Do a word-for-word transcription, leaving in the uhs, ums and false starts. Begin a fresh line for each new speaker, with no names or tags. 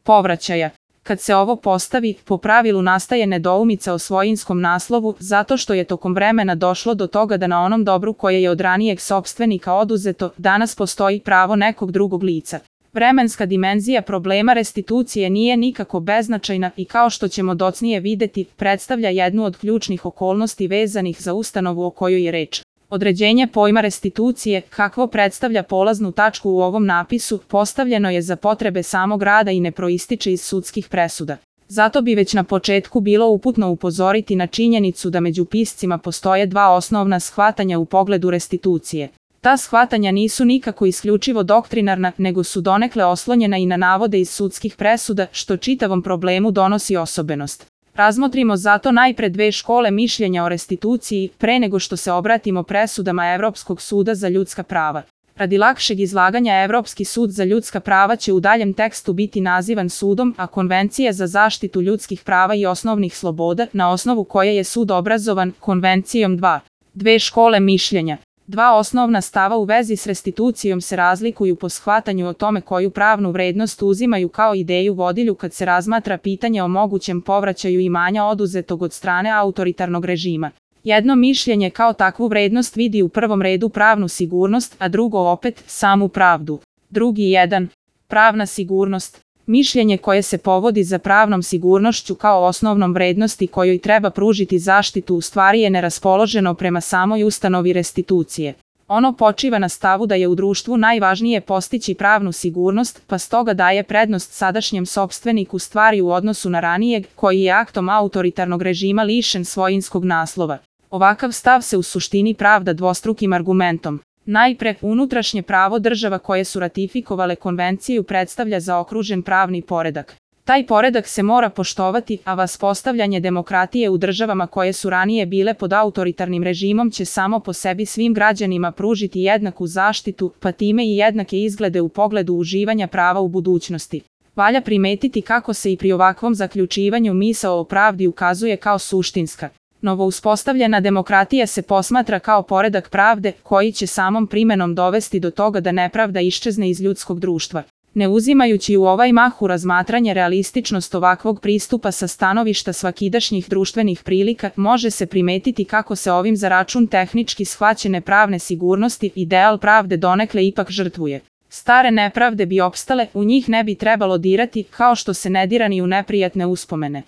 povraćaja. Kad se ovo postavi, po pravilu nastaje nedoumica o svojinskom naslovu, zato što je tokom vremena došlo do toga da na onom dobru koje je od ranijeg sopstvenika oduzeto, danas postoji pravo nekog drugog lica. Vremenska dimenzija problema restitucije nije nikako beznačajna i kao što ćemo docnije videti, predstavlja jednu od ključnih okolnosti vezanih za ustanovu o kojoj je reč. Određenje pojma restitucije, kakvo predstavlja polaznu tačku u ovom napisu, postavljeno je za potrebe samog rada i ne proističe iz sudskih presuda. Zato bi već na početku bilo uputno upozoriti na činjenicu da među piscima postoje dva osnovna shvatanja u pogledu restitucije. Ta shvatanja nisu nikako isključivo doktrinarna, nego su donekle oslonjena i na navode iz sudskih presuda, što čitavom problemu donosi osobenost. Razmotrimo zato najpre dve škole mišljenja o restituciji, pre nego što se obratimo presudama Evropskog suda za ljudska prava. Radi lakšeg izlaganja Evropski sud za ljudska prava će u daljem tekstu biti nazivan sudom, a Konvencija za zaštitu ljudskih prava i osnovnih sloboda, na osnovu koje je sud obrazovan, Konvencijom dva. Dve škole mišljenja. Dva osnovna stava u vezi s restitucijom se razlikuju po shvatanju o tome koju pravnu vrednost uzimaju kao ideju vodilju kad se razmatra pitanje o mogućem povraćaju imanja oduzetog od strane autoritarnog režima. Jedno mišljenje kao takvu vrednost vidi u prvom redu pravnu sigurnost, a drugo opet samu pravdu. Drugi jedan. Pravna sigurnost. Mišljenje koje se povodi za pravnom sigurnošću kao osnovnom vrednosti kojoj treba pružiti zaštitu u stvari je neraspoloženo prema samoj ustanovi restitucije. Ono počiva na stavu da je u društvu najvažnije postići pravnu sigurnost, pa stoga daje prednost sadašnjem sopstveniku stvari u odnosu na ranijeg, koji je aktom autoritarnog režima lišen svojinskog naslova. Ovakav stav se u suštini pravda dvostrukim argumentom. Najpre, unutrašnje pravo država koje su ratifikovale konvenciju predstavlja zaokružen pravni poredak. Taj poredak se mora poštovati, a vaspostavljanje demokratije u državama koje su ranije bile pod autoritarnim režimom će samo po sebi svim građanima pružiti jednaku zaštitu, pa time i jednake izglede u pogledu uživanja prava u budućnosti. Valja primetiti kako se i pri ovakvom zaključivanju misao o pravdi ukazuje kao suštinska. Novo uspostavljena demokratija se posmatra kao poredak pravde, koji će samom primenom dovesti do toga da nepravda iščezne iz ljudskog društva. Ne uzimajući u ovaj mah u razmatranje realističnost ovakvog pristupa sa stanovišta svakidašnjih društvenih prilika, može se primetiti kako se ovim za račun tehnički shvaćene pravne sigurnosti ideal pravde donekle ipak žrtvuje. Stare nepravde bi opstale, u njih ne bi trebalo dirati, kao što se ne dira ni u neprijatne uspomene.